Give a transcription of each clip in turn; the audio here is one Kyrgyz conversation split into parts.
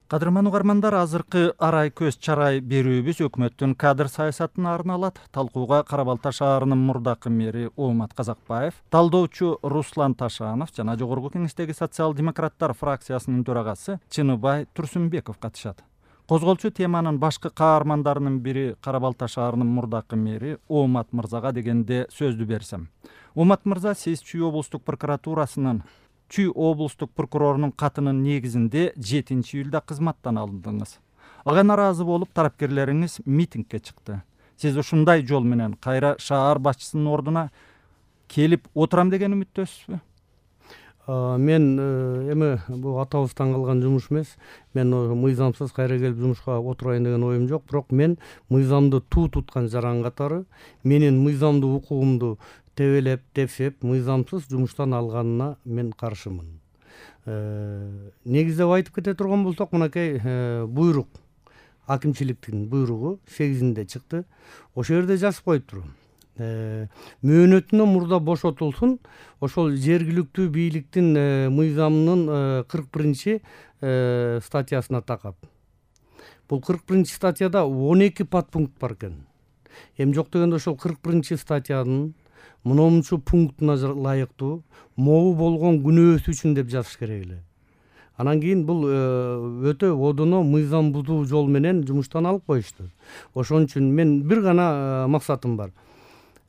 Кадырман угармандар, азыркы арай көз чарай берүүбүз өкмөттүн кадр саясатына арналат. Талкууга Кара Балта шаарынын мурдакы мэри Оомат Казакбаев, талдоочу Руслан Ташанов жана Жогорку Кеңештеги социал-демократтар фракциясынын төрагасы Чыныбай Турсунбеков катышат. Козголчу теманын башкы каармандарынын бири Кара Балта шаарынын мурдакы мэри Оомат мырзага дегенде сөздү берсем. Оомат мырза, сиз Чүй облустук прокуратурасынын Чүй облустук прокурорунун катынын негизинде 7-июлда кызматтан алындыңыз. Ага наразы болуп, тарапкерлериңиз митингге чыкты. Сиз ушундай жол менен кайра шаар башчысынын ордуна келип отурам деген үмүттөсүзбү? Мен эми бул атабыздан калган жумуш эмес. Мен мыйзамсыз кайра келип жумушка отурайын деген оюм жок. Бирок мен мыйзамды туу туткан жаран катары менин мыйзамдуу укугумду тебелеп, тепсеп, мыйзамсыз жумуштан алганына мен каршымын. Негиздеп айтып кете турган болсок, мынакей буйрук, акимчиликтин буйругу 8-inde чыкты. Ошол жерде жазып коюптур. Мөөнөтүнөн мурда бошотулсун, ошол жергиликтүү бийликтин мыйзамынын 41-статьясына такап. Бул 41-статьяда 12 подпункт бар экен. Эми жок дегенде ошол 41-статьянын мынчу пунктуна ылайыктуу могу болгон күнөөсү үчүн деп жазыш керек эле. Анан кийин бул өтө одоно мыйзам бузуу жол менен жумуштан алып коюшту. Ошон үчүн мен бир гана максатым бар.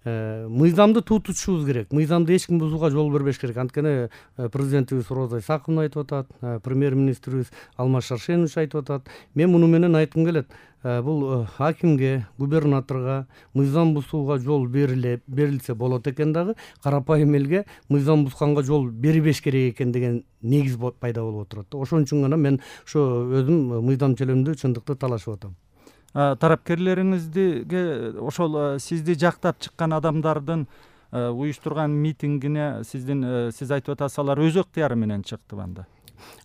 Мыйзамды туу тутушубуз керек. Мыйзамды эч ким бузууга жол бербеш керек. Анткени президентибиз Роза Исаковна айтып атат, премьер-министрибиз Алмаз Шаршенович айтып атат. Мен муну менен айткым келет. Бул акимге, губернаторго мыйзам бузууга жол берилсе болот экен дагы, карапайым элге мыйзам бузганга жол бербеш керек экен деген негиз пайда болуп отурат. Ошон үчүн гана мен ошо өзүм мыйзам чөлөмдүү чындыкты талашып атам. Тарапкерлериңизге ошол сизди жактап чыккан адамдардын уюштурган митингине сиз айтып атасыз, алар өз ыктыяры менен чыкты анда?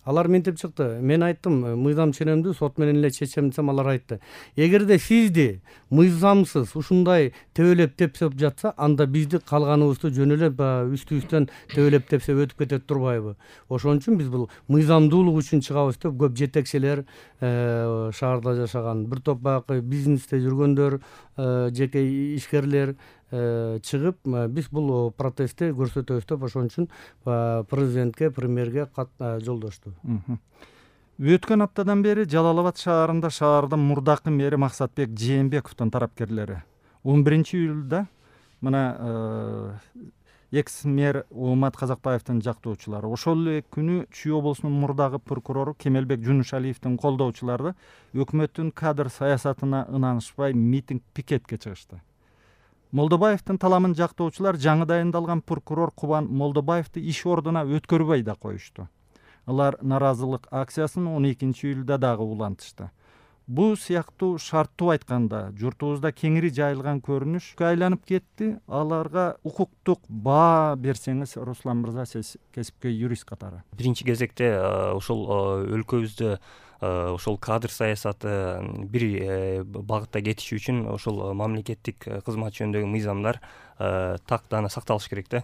Алар мынтип чыкты. Мен айттым, мыйзам ченемдүү, сот менен эле чечем десем, алар айтты. Эгерде сизди мыйзамсыз ушундай тебелеп тепсеп жатса, анда бизди калганыбызды жөн эле үстүбүздөн тебелеп тепсеп өтүп кетет турбайбы? Ошон үчүн биз бул мыйзамдуулук үчүн чыгабыз деп көп жетекчилер, шаарда жашаган бир топ баягы бизнесте жүргөндөр, жеке ишкерлер чыгып, биз бул протестти көрсөтөбүз деп ошон үчүн президентке, премьерге кат жолдошту. Өткөн аптадан бери Жалал Абад шаарында шаардын мурдакы мэри Максатбек Жээнбековдун тарапкерлери 11-июлда мына экс-мэр Оомат Казакбаевдин жактоочулары, ошол эле күнү Чүй облусунун мурдагы прокурору Кемелбек Жунушалиевдин колдоочулары өкмөттүн кадр саясатына ынанышпай митинг, пикетке чыгышты. Молдобаевдин таламын жактоочулар жаңы дайындалган прокурор Кубан Молдобаевди иш ордуна өткөрбөй да коюшту. Алар наразылык акциясын 12-июлда дагы улантышты. Бул сыяктуу шарттуу айтканда журтубузда кеңири жайылган көрүнүшкө айланып кетти. Аларга укуктук баа берсеңиз, Руслан мырза, сиз кесипкөй юрист катары. Биринчи кезекте ошол өлкөбүздө ошол кадр саясаты бир багытта кетиши үчүн ошол мамлекеттик кызмат жөнүндөгү мыйзамдар тактана сакталыш керек да.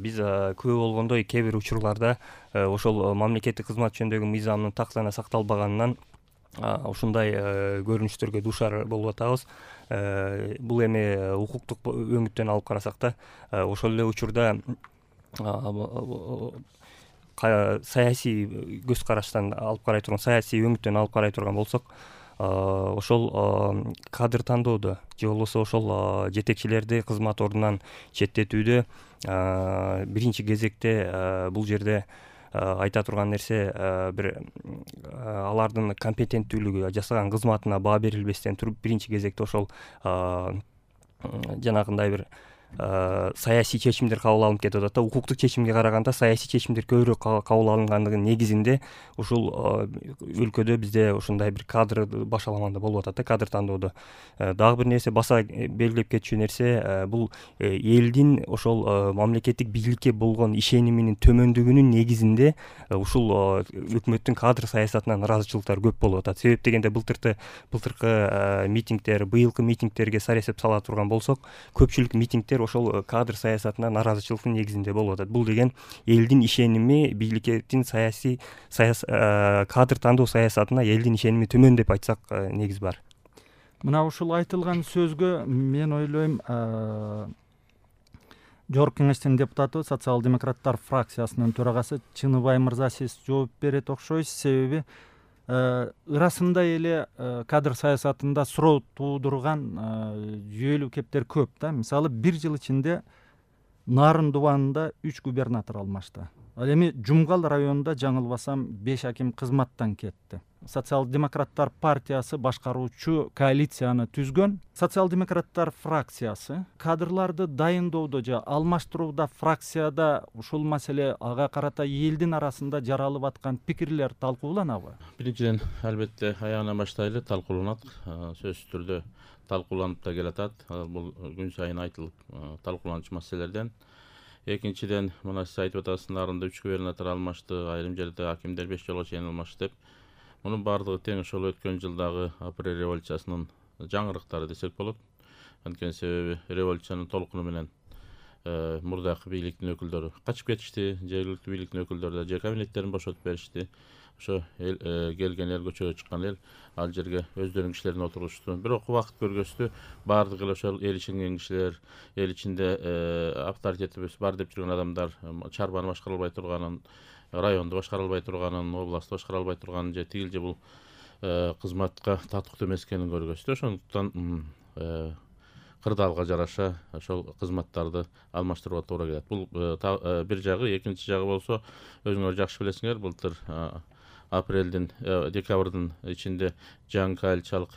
Биз күбө болгондой кээ бир учурларда ошол мамлекеттик кызмат жөнүндөгү мыйзамдын тактана сакталбаганынан ушундай көрүнүштөргө дуушар болуп атабыз. Бул эми укуктук өңүттөн алып карасак да, ошол эле учурда саясий көз караштан алып карай турган, саясий өңүттөн алып карай турган болсок, ошол кадр тандоодо же болбосо ошол жетекчилерди кызмат ордунан четтетүүдө биринчи кезекте бул жерде айта турган нерсе бир алардын компетенттүүлүгү, жасаган кызматына баа берилбестен туруп, биринчи кезекте ошол жанагындай бир саясий чечимдер кабыл алынып кетип атат да. Укуктук чечимге караганда саясий чечимдер көбүрөөк кабыл алынгандыгынын негизинде ушул өлкөдө бизде ушундай бир кадр башаламанда болуп атат да, кадр тандоодо. Дагы бир нерсе, баса белгилеп кетчү нерсе, бул элдин ошол мамлекеттик бийликке болгон ишениминин төмөндүгүнүн негизинде ушул өкмөттүн кадр саясатына наразычылыктар көп болуп атат. Себеп дегенде былтыркы митингдер, быйылкы митингдерге сар эсеп сала турган болсок, көпчүлүк митингдер ошол кадр саясатына наразычылыктын негизинде болуп атат. Бул деген элдин ишеними бийликтин саясий кадр тандоо саясатына элдин ишеними төмөн деп айтсак негиз бар. Мына ушул айтылган сөзгө мен ойлойм Жогорку Кеңештин депутаты, социал-демократтар фракциясынын төрагасы Чыныбай мырза сиз жооп берет окшойсуз. Себеби ырасында эле кадр саясатында суроо туудурган жүйөлүү кептер көп да. Мисалы, 1 жыл ичинде Нарын дубанында 3 губернатор алмашты. Ал эми Жумгал районунда жаңылбасам 5 аким кызматтан кетти. Социал-демократтар партиясы башкаруучу коалицияны түзгөн. Социал-демократтар фракциясы кадрларды дайындоодо же алмаштырууда фракцияда ушул маселе ага карата элдин арасында жаралып аткан пикирлер талкууланабы? Биринчиден, албетте аягынан баштайлы талкууланат. Сөзсүз түрдө талкууланып да келатат. Бул күн сайын айтылып талкууланчу маселелерден. Экинчиден, мына сиз айтып атасыз, Нарында 3 губернатор алмашты, айрым жерде акимдер 5 жолго чейин алмашты деп. Мунун баардыгы тең ошол өткөн жылдагы апрель революциясынын жаңырыктары десек болот. Анткени себеби революциянын толкуну менен мурдакы бийликтин өкүлдөрү качып кетишти, жергиликтүү бийликтин өкүлдөрү да жер кабинеттерин бошотуп беришти. Ошо келген эл, көчөгө чыккан эл ал жерге өздөрүнүн кишилерин отургузушту. Бирок убакыт көргөстү, баардыгы эле ошол эл ишенген кишилер, эл ичинде авторитети бар деп жүргөн адамдар чарбаны башкара албай турганын, районду башкара албай турганын, областты башкара албай турганын же тигил же бул кызматка татыктуу эмес экенин көргөздү. Ошондуктан кырдаалга жараша ошол кызматтарды алмаштырууга туура келет. Бул бир жагы. Экинчи жагы болсо, өзүңөр жакшы билесиңер, былтыр апрелдин, декабрдын ичинде жаңы коалициялык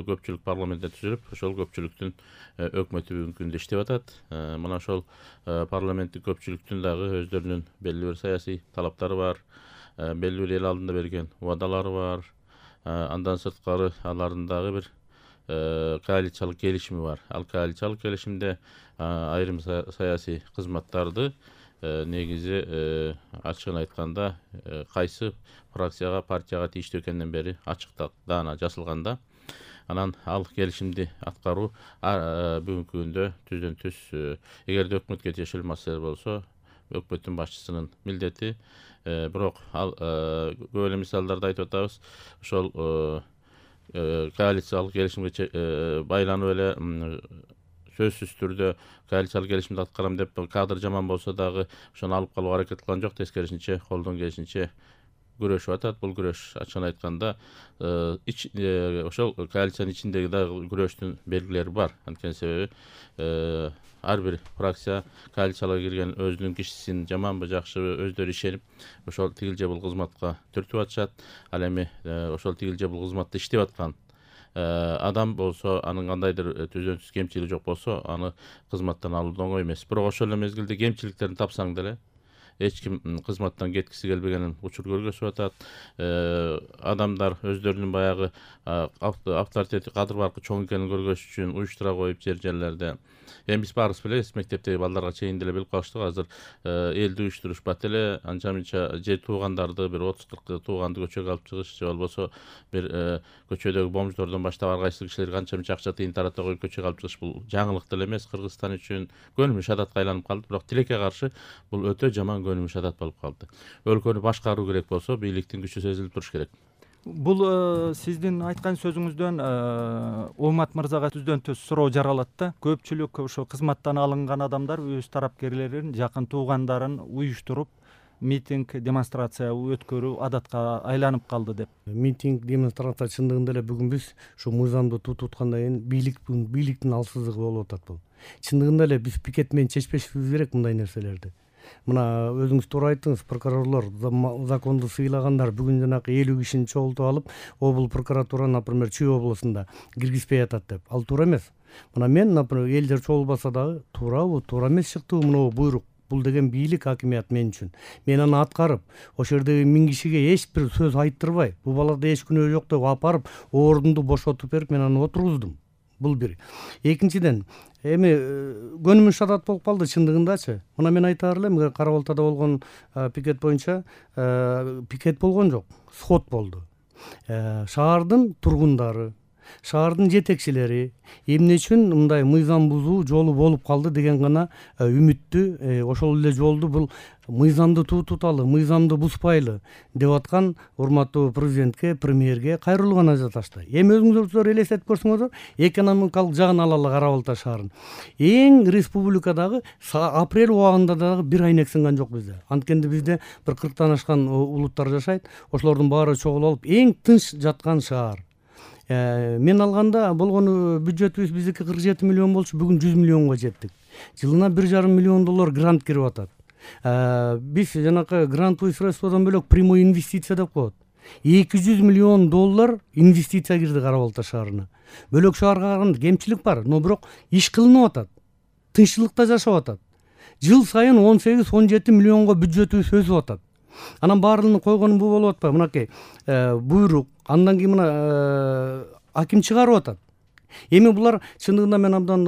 көпчүлүк парламентте түзүлүп, ошол көпчүлүктүн өкмөтү бүгүнкү күндө иштеп атат. Мына ошол парламенттик көпчүлүктүн дагы өздөрүнүн белгилүү бир саясий талаптары бар, белгилүү бир эл алдында берген убадалары бар. Андан сырткары алардын дагы бир коалициялык келишими бар. Ал коалициялык келишимде айрым саясий кызматтарды негизи ачыгын айтканда кайсы фракцияга, партияга тийиштүү экенинен бери ачык даана жазылганда, анан ал келишимди аткаруу бүгүнкү күндө түздөн түз эгерде өкмөткө тиешелүү маселе болсо, өкмөттүн башчысынын милдети. Бирок ал көп эле мисалдарды айтып атабыз. Ошол коалициялык келишимге байланып эле сөзсүз түрдө коалициялык келишимди аткарам деп кадр жаман болсо дагы ошону алып калууга аракет кылган жок. Тескерисинче колдон келишинче күрөшүп атат. Бул күрөш ачыгын айтканда ошол коалициянын ичиндеги дагы күрөштүн белгилери бар. Анткени себеби ар бир фракция коалицияга кирген өзүнүн кишисин жаманбы жакшыбы өздөрү ишенип ошол тигил же бул кызматка түртүп атышат. Ал эми ошол тигил же бул кызматта иштеп аткан адам болсо, анын кандайдыр түздөн түз кемчилиги жок болсо, аны кызматтан алуу оңой эмес. Бирок ошол эле мезгилде кемчиликтерин тапсаң деле эч ким кызматтан кеткиси келбегенин учур көргөзүп атат. Адамдар өздөрүнүн баягы авторитети, кадыр баркы чоң экенин көргөзүш үчүн уюштура коюп жерлерде. Эми биз баарыбыз билебиз, мектептеги балдарга чейин деле билип калыштык. Азыр элди уюштурушпат эле, анча-мынча же туугандарды бир 30-40 тууганды көчөгө алып чыгыш, же болбосо бир көчөдөгү бомждордон баштап ар кайсы кишилерге анча-мынча акча тыйын тарата коюп көчөгө алып чыгыш. Бул жаңылык деле эмес, Кыргызстан үчүн көнүмүш адатка айланып калды. Бирок тилекке каршы бул өтө жаман көнүмүш адат болуп калды. Өлкөнү башкаруу керек болсо, бийликтин күчү сезилип туруш керек. Бул сиздин айткан сөзүңүздөн Омат мырзага түздөн түз суроо жаралат да. Көпчүлүк ошо кызматтан алынган адамдар өз тарапкерлерин, жакын туугандарын уюштуруп митинг, демонстрация өткөрүү адатка айланып калды деп. Митинг, демонстрация чындыгында эле бүгүн биз ушу мыйзамды тутуткандан кийин бийликтин алсыздыгы болуп атат бул. Чындыгында эле биз пикет менен чечпешибиз керек мындай нерселерди. Мына өзүңүз туура айттыңыз, прокурорлор, законду сыйлагандар бүгүн жанагы 50 кишини чогултуп алып, обул прокуратура, например, Чүй областында киргизбей атат деп. Ал туура эмес. Мына мен, например, элдер чогулбаса дагы туурабы, туура эмес чыктыбы мына буйрук. Бул деген бийлик, хакимият мен үчүн. Мен аны аткарып, ошол жердеги 1000 кишиге эч бир сөз айттырбай, бул балада эч күнөө жок деп апарып, ордунду бошотуп берип, мен аны отургуздум. Бул бир. Экинчиден, эми көнүмүш адат болуп калды чындыгындачы. Мына мен айтаар элем, Кара Балтада болгон пикет боюнча пикет болгон жок, сход болду. Шаардын тургундары, шаардын жетекчилери эмне үчүн мындай мыйзам бузуу жолу болуп калды деген гана үмүттүү. Ошол эле жолду бул мыйзамды туталы, мыйзамды бузбайлы деп аткан урматтуу президентке, премьерге кайрылуу гана жаташты. Эми өзүңүздөр элестетип көрсөңүздөр, экономикалык жагын алалы Кара Балта шаарын. Эң республикадагы апрель убагында дагы бир айнек сынган жок бизде. Анткенде бизде бир 40тан ашкан улуттар жашайт. Ошолордун баары чогулуп алып эң тынч жаткан шаар. Мен алганда болгону бюджетибиз биздики 47 миллион болчу, бүгүн 100 миллионго жеттик. Жылына $1,5 миллион грант кирип атат. Биз жанакы грантовый средстводон бөлөк прямой инвестиция деп коет. $200 миллион инвестиция кирди Кара Балта шаарына. Бөлөк шаарга караганда кемчилик бар, но бирок иш кылынып атат. Тынччылыкта жашап атат. Жыл сайын 18-17 миллионго бюджетибиз өсүп атат. Анан баарын койгонум бул болуп атпайбы? Мынакей буйрук, андан кийин мына аким чыгарып атат. Эми булар чындыгында мен абдан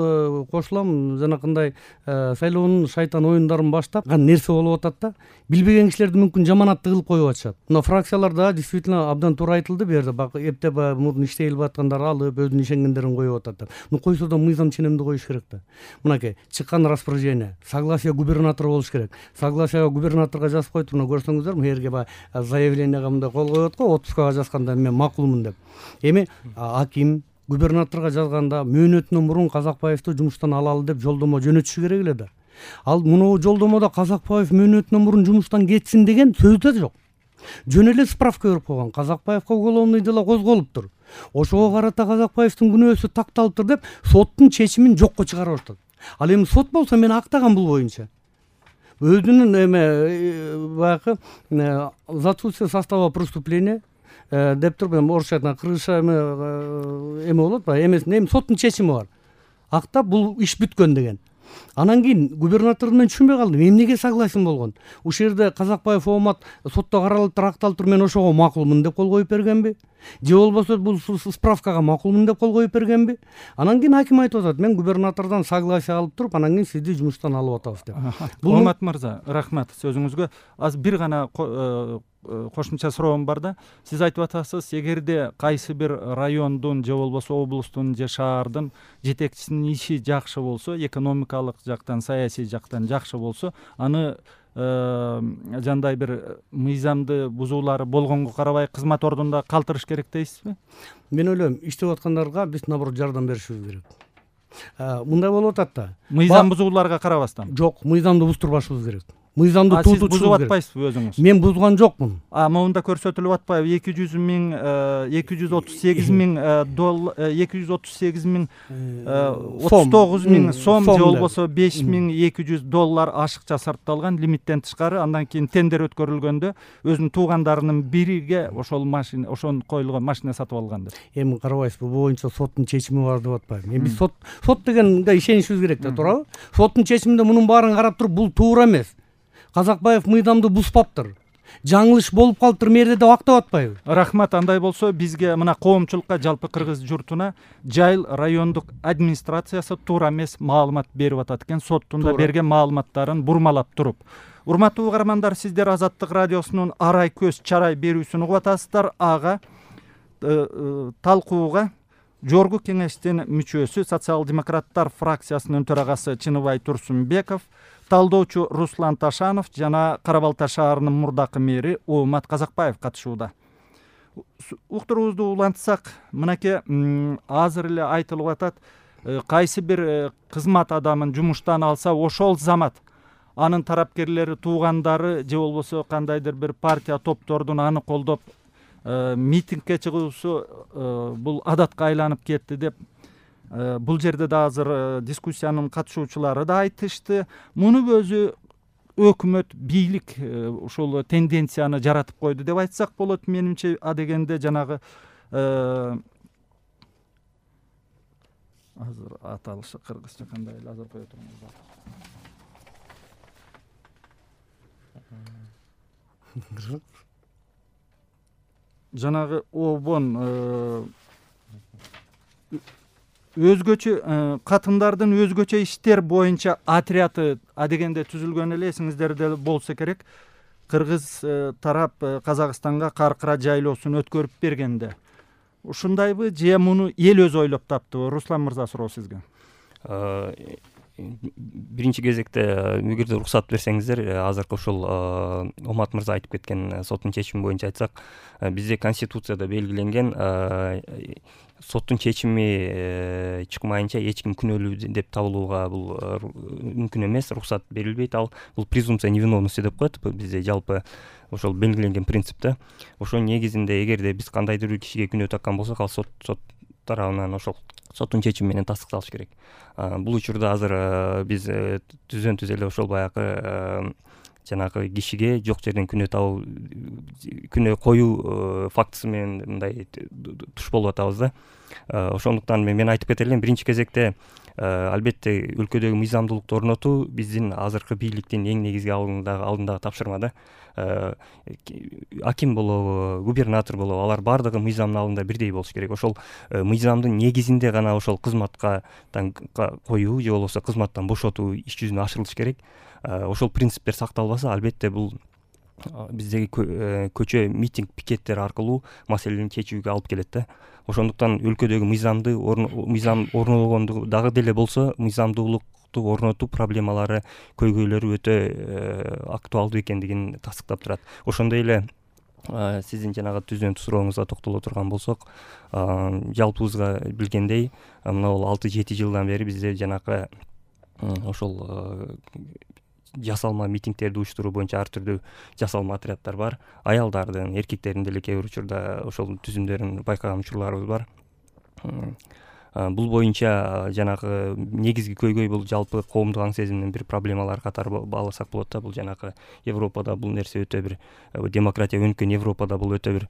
кошулам, жанакындай шайлоонун шайтан оюндарын баштаган нерсе болуп атат да. Билбеген кишилерди мүмкүн жаманатты кылып коюп атышат. Мына фракцияларда действительно абдан туура айтылды бу жерде. Эптеп мурун иштей албай аткандар алып, өзүнүн ишенгендерин коюп атат. Ну койсо да мыйзам ченемди коюш керек да. Мынакей чыккан распоряжение, согласие губернатора болуш керек. Согласие губернаторго жазып койду, мына көрсөңүздөр, бу жерге заявлениега мындай кол коет го, отпускага жазганда мен макулмун деп. Эми аким губернаторго жазганда мөөнөтүнөн мурун Казакбаевди жумуштан алалы деп жолдомо жөнөтүшү керек эле да. Ал муну жолдомодо Казакбаев мөөнөтүнөн мурун жумуштан кетсин деген сөз да жок. Жөн эле справка берип койгон. Казакбаевге уголовный дело козголуптур. Ошого карата Казакбаевдин күнөөсү такталыптыр деп соттун чечимин жокко чыгарып атат. Ал эми сот болсо мен актаган бул боюнча. Өзүнүн баягы за отсутствие состава преступления деп туруп орусча айтканда кыргызча эме болот ба, эмесин эми соттун чечими бар. Актап бул иш бүткөн деген. Анан кийин губернаторду мен түшүнбөй калдым. Эмнеге согласен болгон? Ушул жерде Казакбаев Омат сотто каралып акталыптыр, мен ошого макулмун деп кол коюп бергенби? Же болбосо бул справкага макулмун деп кол коюп бергенби? Анан кийин аким айтып атат, мен губернатордон согласие алып туруп, анан кийин сизди жумуштан алып атабыз деп. Омат мырза, рахмат сөзүңүзгө. Аз бир гана кошумча суроом бар да. Сиз айтып атасыз, эгерде кайсы бир райондун же болбосо облустун же шаардын жетекчисинин иши жакшы болсо, экономикалык жактан, саясий жактан жакшы болсо, аны жандай бир мыйзамды бузуулары болгонго карабай кызмат ордунда калтырыш керек дейсизби? Мен ойлойм, иштеп аткандарга биз наоборот жардам беришибиз керек. Мындай болуп атат да. Мыйзам бузууларга карабастан. Жок, мыйзамды буздурбашыбыз керек. Мыйзамды сиз бузуп атпайсызбы өзүңүз? Мен бузган жокмун. Могунда көрсөтүлүп атпайбы? 238 миң сом же болбосо $5,200 ашыкча сарпталган, лимиттен тышкары. Андан кийин тендер өткөрүлгөндө өзүнүн туугандарынын бириге ошол машина, ошон коюлган машина сатып алган деп. Эми карабайсызбы, бул боюнча соттун чечими бар деп атпайбы? Эми сот дегенге ишенишибиз керек да, туурабы? Соттун чечиминде мунун баарын карап туруп, бул туура эмес. Казакбаев мыйзамды бузбаптыр. Жаңылыш болуп калыптыр мерде деп актап атпайбы? Рахмат. Андай болсо бизге мына коомчулукка, жалпы кыргыз журтуна Жайыл райондук администрациясы туура эмес маалымат берип атат экен, соттун да берген маалыматтарын бурмалап туруп. Урматтуу угармандар, сиздер Азаттык радиосунун арай көз чарай берүүсүн угуп атасыздар. Ага талкууга Жогорку кеңештин мүчөсү, социал-демократтар фракциясынын төрагасы Чыныбай Турсунбеков, талдоочу Руслан Ташанов жана Кара Балта шаарынын мурдакы мэри Омат Казакбаев катышууда. Уктуруубузду улантсак, мынакей азыр эле айтылып атат, кайсы бир кызмат адамын жумуштан алса, ошол замат анын тарапкерлери, туугандары же болбосо кандайдыр бир партия топтордун аны колдоп митингге чыгуусу бул адатка айланып кетти деп бул жерде да азыр дискуссиянын катышуучулары да айтышты. Муну өзү өкмөт, бийлик ушул тенденцияны жаратып койду деп айтсак болот. Менимче адегенде жанагы азыр аталышы кыргызча кандай эле азыр кое туруңуз. Жанагы обон өзгөчө катындардын өзгөчө иштер боюнча отряды адегенде түзүлгөн эле, эсиңиздерде болсо керек. Кыргыз тарап Казакстанга Каркыра жайлоосун өткөрүп бергенде ушундайбы же муну эл өзү ойлоп таптыбы? Руслан мырза, суроо сизге. Биринчи кезекте эгерде уруксат берсеңиздер, азыркы ушул Омат мырза айтып кеткен соттун чечими боюнча айтсак, бизде конституцияда белгиленген соттун чечими чыкмайынча эч ким күнөөлүү деп табылууга бул мүмкүн эмес, уруксат берилбейт. Ал бул презумпция невиновности деп коет бизде жалпы ошол белгиленген принципте. Ошонун негизинде эгерде биз кандайдыр бир кишиге күнөө таккан болсок, ал сот тарабынан ошол соттун чечими менен тастыкталыш керек. Бул учурда азыр биз түзөн-түз эле ошол баягы жанагы кишиге жок жерден күнөө коюу фактысы менен мындай туш болуп атабыз да. Ошондуктан мен айтып кете элем, биринчи кезекте албетте өлкөдөгү мыйзамдуулукту орнотуу биздин азыркы бийликтин эң негизги алдындагы тапшырма да. Аким болобу, губернатор болобу, алар баардыгы мыйзамдын алдында бирдей болуш керек. Ошол мыйзамдын негизинде гана ошол кызматка коюу же болбосо кызматтан бошотуу иш жүзүнө ашырылыш керек. Ошол принциптер сакталбаса, албетте бул биздеги көчө митинг, пикеттер аркылуу маселени чечүүгө алып келет да. Ошондуктан өлкөдөгү мыйзам орногондугу дагы деле болсо, мыйзамдуулукту орнотуу проблемалары, көйгөйлөрү өтө актуалдуу экендигин тастыктап турат. Ошондой эле сиздин жанагы түздөн сурооңузга токтоло турган болсок, жалпыбызга билгендей, мына 6-7 жылдан бери бизде жанагы ошол жасалма митингтерди уюштуруу боюнча ар түрдүү жасалма отряддар бар. Аялдардын, эркектердин деле кээ бир учурда ошол түзүмдөрүн байкаган учурларыбыз бар. Бул боюнча жанагы негизги көйгөй бул жалпы коомдук аң сезимдин бир проблемалары катары бааласак болот да. Бул жанагы Европада бул нерсе өтө бир демократия өнүккөн Европада бул өтө бир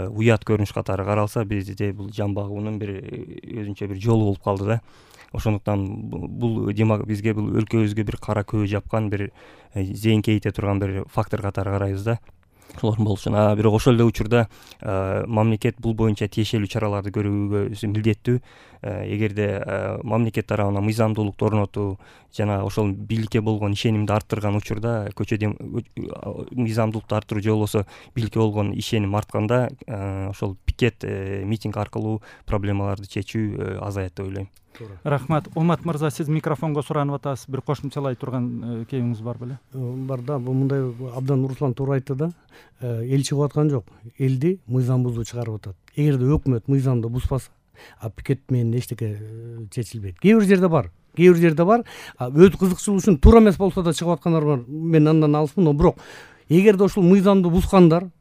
уят көрүнүш катары каралса, бизде бул жан багуунун бир өзүнчө бир жолу болуп калды да. Ошондуктан бул бизге бул өлкөбүзгө бир кара көбө жапкан, бир зейинкейте турган бир фактор катары карайбыз да. Ошолордун болушун. Бирок ошол эле учурда мамлекет бул боюнча тиешелүү чараларды көрүүгө милдеттүү. Эгерде мамлекет тарабынан мыйзамдуулукту орнотуу жана ошол бийликке болгон ишенимди арттырган учурда, көчөдө мыйзамдуулукту арттыруу же болбосо бийликке болгон ишеним артканда, ошол пикет, митинг аркылуу проблемаларды чечүү азаят деп ойлойм. Рахмат. Омат мырза, сиз микрофонго суранып атасыз. Бир кошумчалай турган кебиңиз бар беле? Бар да. Бул мындай абдан Руслан туура айтты да. Эл чыгып аткан жок. Элди мыйзам бузуу чыгарып атат. Эгерде өкмөт мыйзамды бузбаса, пикет менен эчтеке чечилбейт. Кээ бир жерде бар. Өз кызыкчылыгы үчүн туура эмес болсо да чыгып аткандар бар. Мен андан алысмын, бирок эгерде ошол мыйзамды бузгандар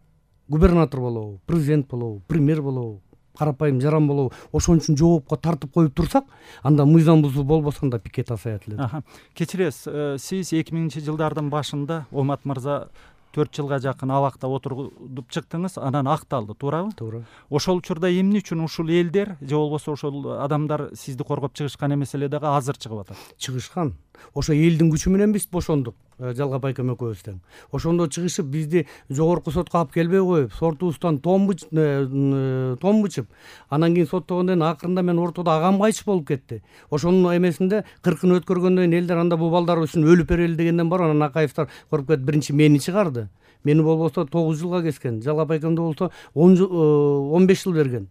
губернатор болобу, президент болобу, премьер болобу, карапайым жаран болобу, ошон үчүн жоопко тартып коюп турсак, анда мыйзам бузуу болбосо анда пикет азаят эле. Кечиресиз, сиз 2000-жылдардын башында Омат мырза 4 жылга жакын абакта отуруп чыктыңыз, анан акталды, туурабы? Туура. Ошол учурда эмне үчүн ушул элдер же болбосо ошол адамдар сизди коргоп чыгышкан эмес эле дагы азыр чыгып атат? Чыгышкан. Ошо элдин күчү менен биз бошондук. Жалгап айкем экөөбүз тең. Ошондо чыгышып бизди жогорку сотко алып келбей коюп, сортубуздан том бычып, анан кийин соттогондон акырында мен ортодо агам кайтыш болуп кетти. Ошонун эмесинде 40-ын өткөргөндөн кийин элдер анда бул балдар үчүн өлүп берели дегенден бар, анан Акаевдер коруп кетип биринчи мени чыгарды. Мени болбосо 9 жылга кескен, жалгап айкемде болсо 15 жыл берген.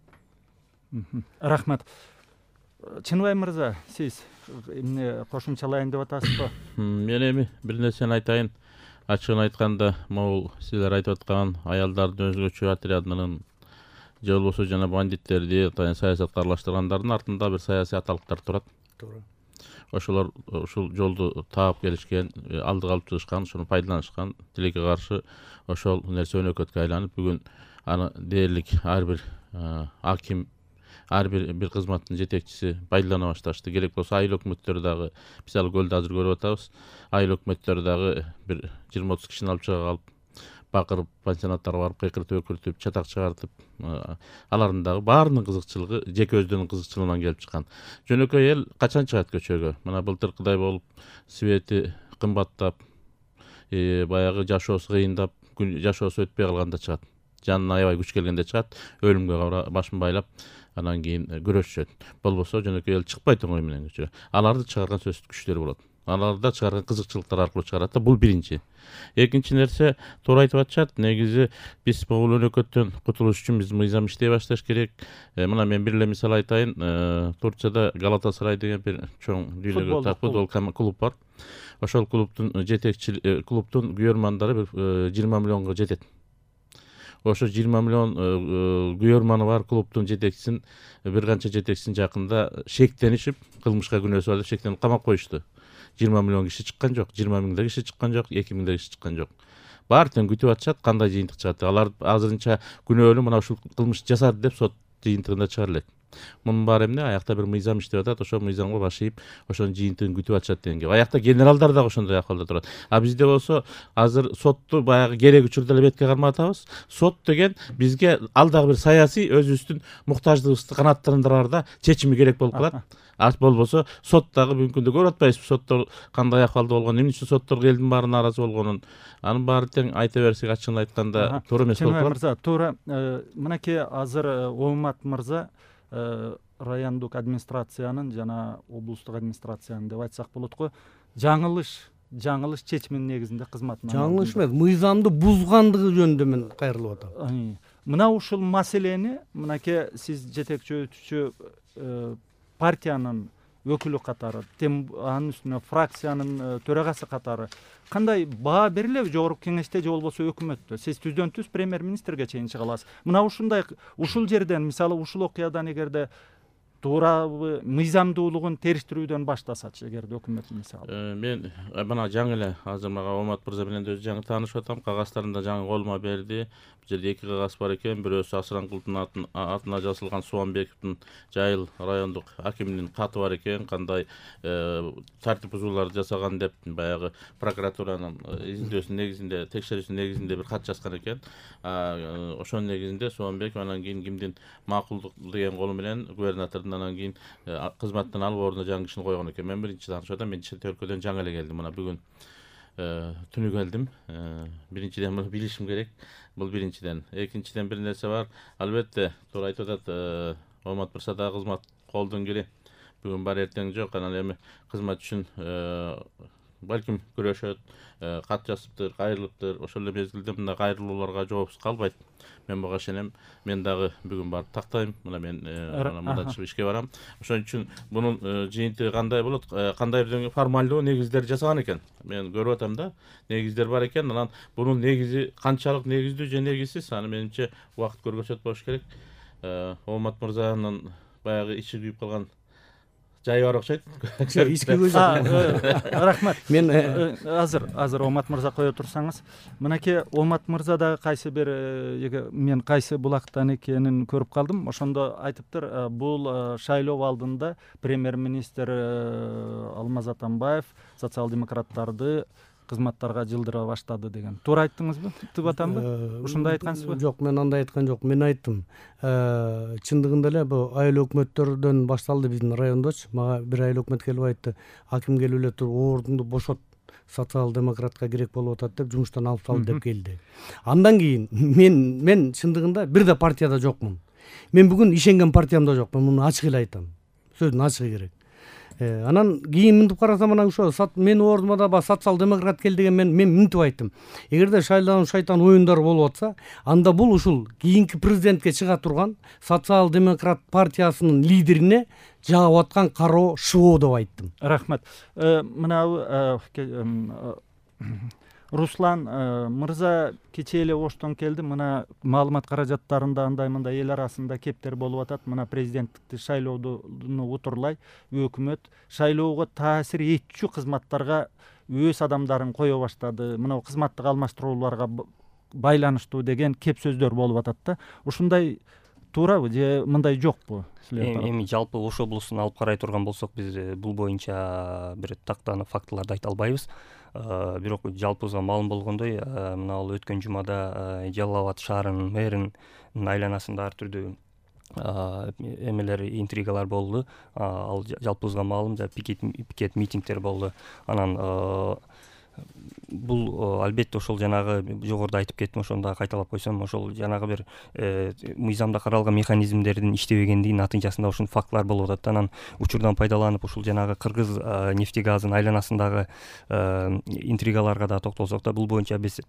Рахмат. Чыныбай мырза, сиз эмне кошумчалайын деп атасызбы? Мен эми бир нерсени айтайын. Ачыгын айтканда, могул силер айтып аткан аялдардын өзгөчө отрядынын же болбосо жана бандиттерди, саясатка аралаштыргандардын артында бир саясий аталыктар турат. Туура. Ошолор ушул жолду таап келишкен, алдыга алып чыгышкан, ошону пайдаланышкан, тилекке каршы ошол нерсе өнөкөткө айланып, бүгүн аны дээрлик ар бир аким, ар бир кызматтын жетекчиси пайдалана башташты. Керек болсо айыл өкмөттөр дагы, мисалы Көлдө азыр көрүп атабыз, айыл өкмөттөр дагы бир 20-30 кишини алып чыга калып, бакырып, пансионаттарга барып, кыйкыртып, өкүртүп, чатак чыгартып, алардын дагы баарынын кызыкчылыгы жеке өздөрүнүн кызыкчылыгынан келип чыккан. Жөнөкөй эл качан чыгат көчөгө? Мына былтыркыдай болуп, свети кымбаттап, баягы жашоосу кыйындап, жашоосу өтпөй калганда чыгат. Жанына аябай күч келгенде чыгат, өлүмгө башын байлап, анан кийин күрөшүшөт. Болбосо жөнөкөй эл чыкпайт оңой менен көчөгө. Аларды чыгарган сөзсүз күчтөр болот. аларда чыгарган кызыкчылыктар аркылуу чыгарат да. Бул биринчи. Экинчи нерсе, туура айтып атышат. Негизи биз бул өлөкөттөн кутулуш үчүн биз мыйзам иштей башташ керек. Мына мен бир эле мисал айтайын. Турцияда Галатасарай деген бир чоң дүйнөгө футбол клуб бар. Ошол клубдун клубдун күйөрмандары 20 миллионго жетет. Ошо 20 миллион күйөрманы бар клубдун жетекчисин, бир канча жетекчисин жакында шектенишип, кылмышка күнөөсү бар деп шектенип камап коюшту. 20 миллион киши чыккан жок, 20 миңдей киши чыккан жок, 2 миңдей киши чыккан жок. Баары тең күтүп атышат, кандай жыйынтык чыгат. Алар азырынча күнөөлүү мына ушул кылмыш жасады деп сот жыйынтыгында чыгара элек. Мунун баары эмне? Аякта бир мыйзам иштеп атат, ошол мыйзамга баш ийип, ошонун жыйынтыгын күтүп атышат деген геп. Аякта генералдар дагы ошондой акыбалда турат. А бизде болсо азыр сотту баягы керек учурда эле бетке кармап атабыз. Сот деген бизге ал дагы бир саясий өзүбүздүн муктаждыгыбызды канааттандыраарда чечими керек болуп калат. Болбосо сот дагы бүгүнкү күндө көрүп атпайбызбы соттор кандай акыбалда болгонун, эмне үчүн сотторго элдин баары нааразы болгонун. Анын баары тең айта берсек ачыгын айтканда туура эмес болуп калат. Мырза, туура. Мынакей азыр Омат мырза райондук администрациянын жана облустук администрациянын деп айтсак болот го, жаңылыш чечиминин негизинде кызматына жаңылыш эмес, мыйзамды бузгандыгы жөнүндө мен кайрылып атам. Мына ушул маселени мынакей сиз жетекчи партиянын өкүлү катары, анын үстүнө фракциянын төрагасы катары кандай баа берилеби жогорку кеңеште же болбосо өкмөттө? Сиз түздөн түз премьер-министрге чейин чыга аласыз. Мына ушул жерден, мисалы ушул окуядан эгерде туурабы мыйзамдуулугун териштирүүдөн баштасачы, эгерде өкмөт мисалы. Мен мына жаңы эле азыр мага Омат мырза менен өзү жаңы таанышып атам. Кагаздарын да жаңы колума берди. Бул жерде 2 кагаз бар экен. Бирөөсү Асыранкулдун атына жазылган Суанбековдун Жайыл райондук акиминин каты бар экен. Кандай тартип бузууларды жасаган деп баягы прокуратуранын изилдөөсүнүн негизинде, текшерүүсүнүн негизинде бир кат жазган экен. Ошонун негизинде Суанбеков анан кийин кимдин макулдук деген колу менен губернатордун анан кийин кызматтан алып ордуна жаңы кишини койгон экен. Мен биринчи таанышып атам. Мен чет өлкөдөн жаңы эле келдим. Мына бүгүн түнү келдим. Биринчиден муну билишим керек. Бул биринчиден. Экинчиден бир нерсе бар. Албетте, туура айтып атат, Омат мырза да кызмат колдон кири. Бүгүн бар, эртең жок. Анан эми кызмат үчүн балким күрөшөт, кат жазыптыр, кайрылыптыр. Ошол эле мезгилде мына кайрылууларга жоопсуз калбайт. Мен буга ишенем. Мен дагы бүгүн барып тактайм. Мына мен мындан чыгып ишке барам. Ошон үчүн бунун жыйынтыгы кандай болот? Кандай бир формалдуу негиздер жасаган экен. Мен көрүп атам да, негиздер бар экен. Анан бунун негизи канчалык негиздүү же негизсиз, аны менимче убакыт көргөзөт болуш керек. Омат мырзанын баягы ичи күйүп калган жайы бар окшойт. Рахмат. Мен азыр Омат мырза кое турсаңыз, мынакей Омат мырза дагы кайсы бир мен кайсы булактан экенин көрүп калдым. Ошондо айтыптыр, бул шайлоо алдында премьер-министр Алмаз Атамбаев социал-демократтарды кызматтарга жылдыра баштады деген. Туура айттыңызбы? Деп атамбы? Ушундай айткансызбы? Жок, мен андай айткан жок. Мен айттым. Чындыгында эле бул айыл өкмөттөрдөн башталды биздин райондочу. Мага бир айыл өкмөт келип айтты. Аким келип эле туруп, ордуңду бошот, социал-демократка керек болуп атат деп жумуштан алып сал деп келди. Андан кийин мен чындыгында бир да партияда жокмун. Мен бүгүн ишенген партиямда жокмун. Муну ачык эле айтам. Сөздүн ачыгы керек. Анан кийин мынтип карасам, анан ошо мен ордума да социал-демократ кел деген мен мынтип айттым. Эгерде шайлоо шайтан оюндары болуп атса, анда бул ушул кийинки президентке чыга турган социал-демократ партиясынын лидерине жагып аткан кароо шыбоо деп айттым. Рахмат. Мына Руслан мырза кечээ эле Оштон келди. Мына маалымат каражаттарында андай-мындай эл арасында кептер болуп атат. Мына президенттикти шайлоону утурлай өкмөт шайлоого таасир этчү кызматтарга өз адамдарын кое баштады. Мына кызматтык алмаштырууларга байланыштуу деген кеп сөздөр болуп атат да. Ушундай туурабы же мындай жокпу? Эми жалпы Ош облусун алып карай турган болсок, биз бул боюнча бир тактанып фактыларды айта албайбыз. Бирок жалпыбызга маалым болгондой, мына ал өткөн жумада Жалал Абад шаарынын мэринин айланасында ар түрдүү эмелер, интригалар болду. Ал жалпыбызга маалым, пикет митингдер болду. Анан бул албетте ошол жанагы жогоруда айтып кеттим, ошону дагы кайталап койсом, ошол жанагы бир мыйзамда каралган механизмдердин иштебегендигинин натыйжасында ушундай фактылар болуп атат. Анан учурдан пайдаланып ушул жанагы кыргыз нефтегазынын айланасындагы интригаларга да токтолсок да, бул боюнча биз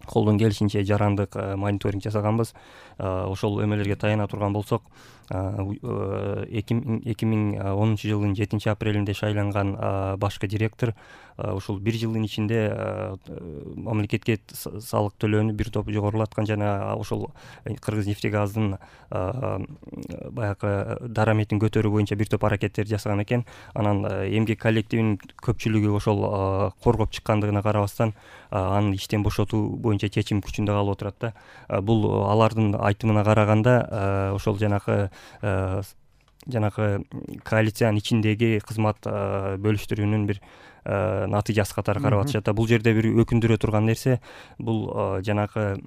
колдон келишинче жарандык мониторинг жасаганбыз. Ошол эмелерге таяна турган болсок, 2010 жылдын 7 апрелинде шайланган башкы директор ушул 1 жылдын ичинде мамлекетке салык төлөөнү бир топ жогорулаткан жана ошол кыргыз нефтегазынын баягы дараметин көтөрүү боюнча бир топ аракеттерди жасаган экен. Анан эмгек коллективинин көпчүлүгү ошол коргоп чыккандыгына карабастан аны иштен бошотуу боюнча чечим күчүндө калып отурат да. Бул алардын айтымына караганда ошол жанагы коалициянын ичиндеги кызмат бөлүштүрүүнүн бир натыйжасы катары карап атышат. Бул жерде бир өкүндүрө турган нерсе, бул жанагы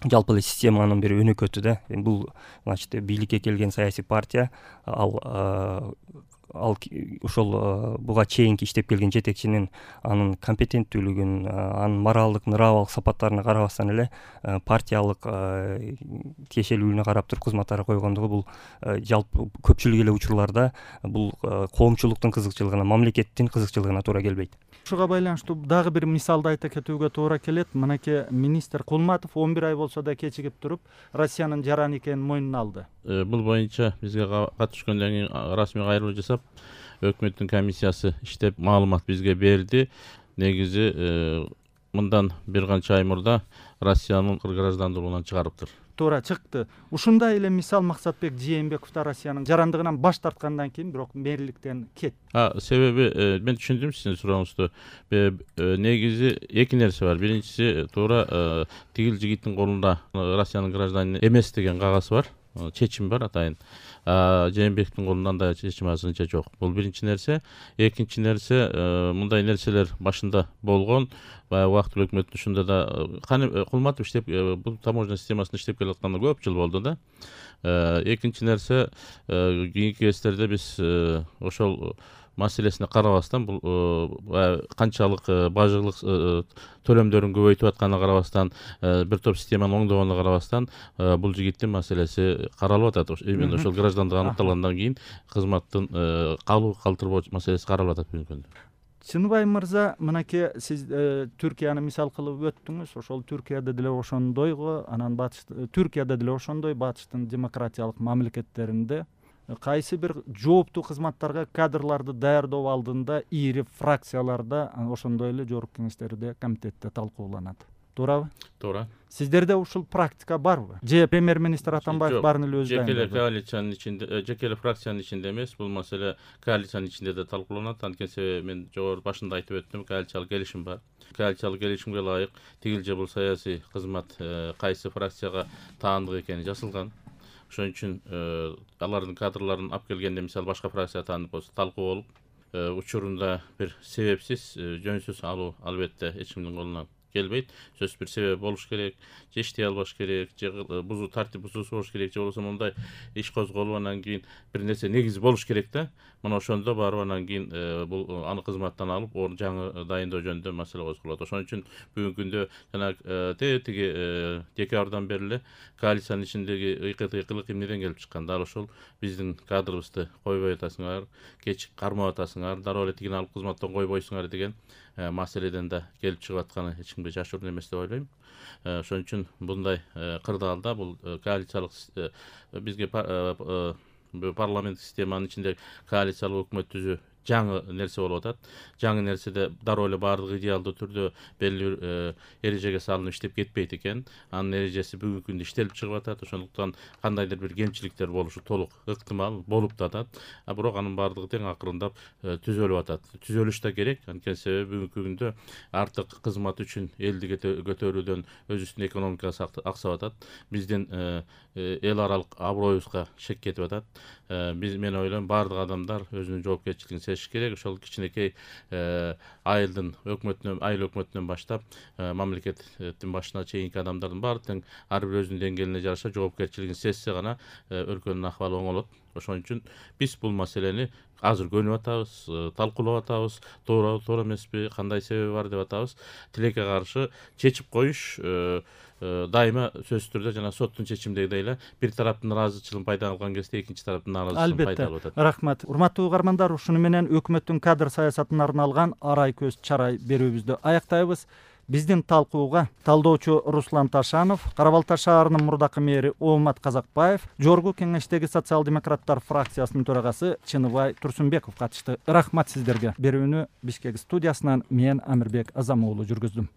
жалпы эле системанын бир өнөкөтү да. Бул значит бийликке келген саясий партия, ал ошол буга чейинки иштеп келген жетекчинин анын компетенттүүлүгүн, анын моралдык, нравалык сапаттарына карабастан эле партиялык тиешелүүлүгүнө карап туруп кызматтарга койгондугу, бул жалпы көпчүлүк эле учурларда бул коомчулуктун кызыкчылыгына, мамлекеттин кызыкчылыгына туура келбейт. Ушуга байланыштуу дагы бир мисалды айта кетүүгө туура келет. Мынакей министр Кулматов 11 ай болсо да кечигип туруп Россиянын жаран экенин мойнуна алды. Бул боюнча бизге кат түшкөндөн кийин расмий кайрылуу жасап, өкмөттүн комиссиясы иштеп маалымат бизге берди. Негизи мындан бир канча ай мурда Россиянын граждандуулугунан чыгарыптыр. Туура чыкты. Ушундай эле мисал Максатбек Жээнбеков да Россиянын жарандыгынан баш тарткандан кийин бирок мэрликтен кетти. Себеби мен түшүндүм сиздин сурооңузду. Негизи эки нерсе бар. Биринчиси туура тигил жигиттин колунда Россиянын гражданины эмес деген кагаз бар, чечим бар атайын. Жээнбековдун колунда андай чечим азырынча жок. Бул биринчи нерсе. Экинчи нерсе, мындай нерселер башында болгон. Баягы убактылуу өкмөттүн ушунда да Кулматов иштеп, бул таможня системасында иштеп келатканына көп жыл болду да. Экинчи нерсе, кийинки кездерде биз ошол маселесине карабастан, бул канчалык бажылык төлөмдөрүн көбөйтүп атканына карабастан, бир топ системаны оңдогонуна карабастан, бул жигиттин маселеси каралып атат. Именно ошол граждандык аныкталгандан кийин кызматтын калтырбоо маселеси каралып атат бүгүнкү күндө. Чыныбай мырза, мынакей сиз Түркияны мисал кылып өттүңүз. Ошол Түркияда деле ошондойго, анан Түркияда деле ошондой батыштын демократиялык мамлекеттеринде кайсы бир жооптуу кызматтарга кадрларды даярдоо алдында ири фракцияларда, ошондой эле жогорку кеңештерде, комитетте талкууланат. Туурабы? Туура. Сиздерде ушул практика барбы? Же премьер-министр Атамбаев баарын эле өзү дайындайбы? Жеке эле коалициянын ичинде, жеке эле фракциянын ичинде эмес, бул маселе коалициянын ичинде да талкууланат. Анткени себеби мен жогору башында айтып өттүм, коалициялык келишим бар. Коалициялык келишимге ылайык тигил же бул саясий кызмат кайсы фракцияга таандык экени жазылган. Ошон үчүн алардын кадрларын алып келгенде, мисалы башка фракция таандык болсо, талкуу болуп, учурунда бир себепсиз, жөнсүз алуу албетте эч кимдин колунан келбейт. Сөзсүз бир себеби болуш керек, же иштей албаш керек, же тартип бузуусу болуш керек, же болбосо мындай иш козголуп анан кийин бир нерсе негизи болуш керек да. Мына ошондо барып анан кийин бул аны кызматтан алып, жаңы дайындоо жөнүндө маселе козголот. Ошон үчүн бүгүнкү күндө жана тиги декабрдан бери эле коалициянын ичиндеги ыйкылык эмнеден келип чыккан? Дал ошол биздин кадрыбызды койбой атасыңар, кеч кармап атасыңар, дароо эле тигини алып кызматтан койбойсуңар деген маселеден да келип чыгып атканы эч кимге жашыруун эмес деп ойлойм. Ошон үчүн мындай кырдаалда бул коалициялык бизге парламент системанын ичинде коалициялык өкмөт түзүү жаңы нерсе болуп атат. Жаңы нерседе дароо эле баардык идеалдуу түрдө белгилүү бир эрежеге салынып иштеп кетпейт экен. Анын эрежеси бүгүнкү күндө иштелип чыгып атат. Ошондуктан кандайдыр бир кемчиликтер болушу толук ыктымал, болуп да атат. Бирок анын баардыгы тең акырындап түзөлүп атат. Түзөлүш да керек. Анткени себеби бүгүнкү күндө артык кызмат үчүн элди көтөрүүдөн өзүбүздүн экономикабыз аксап атат. Биздин эл аралык аброюбузга шек кетип атат. Мен ойлойм, баардык адамдар өзүнүн жоопкерчилигин сезиш керек. Ошол кичинекей айыл өкмөтүнөн баштап мамлекеттин башына чейинки адамдардын баары тең ар бир өзүнүн деңгээлине жараша жоопкерчилигин сезсе гана өлкөнүн акыбалы оңолот. Ошон үчүн биз бул маселени азыр көнүп атабыз, талкуулап атабыз, туура эмеспи, кандай себеби бар деп атабыз. Тилекке каршы чечип коюш дайыма сөзсүз түрдө жана соттун чечимдегидей эле бир тараптын ыраазычылыгын пайда алган кезде экинчи тараптын нааразычылыгын пайда албетте, алып атат. рахмат. Урматтуу угармандар, ушуну менен өкмөттүн кадр саясатына арналган арай көз чарай берүүбүздү аяктайбыз. Биздин талкууга талдоочу Руслан Ташанов, Кара Балта шаарынын мурдакы мэри Оомат Казакбаев, Жогорку Кеңештеги социал-демократтар фракциясынын төрагасы Чыныбай Турсунбеков катышты. Рахмат сиздерге. Берүүнү Бишкек студиясынан мен Амирбек Азамоğlu жүргүздүм.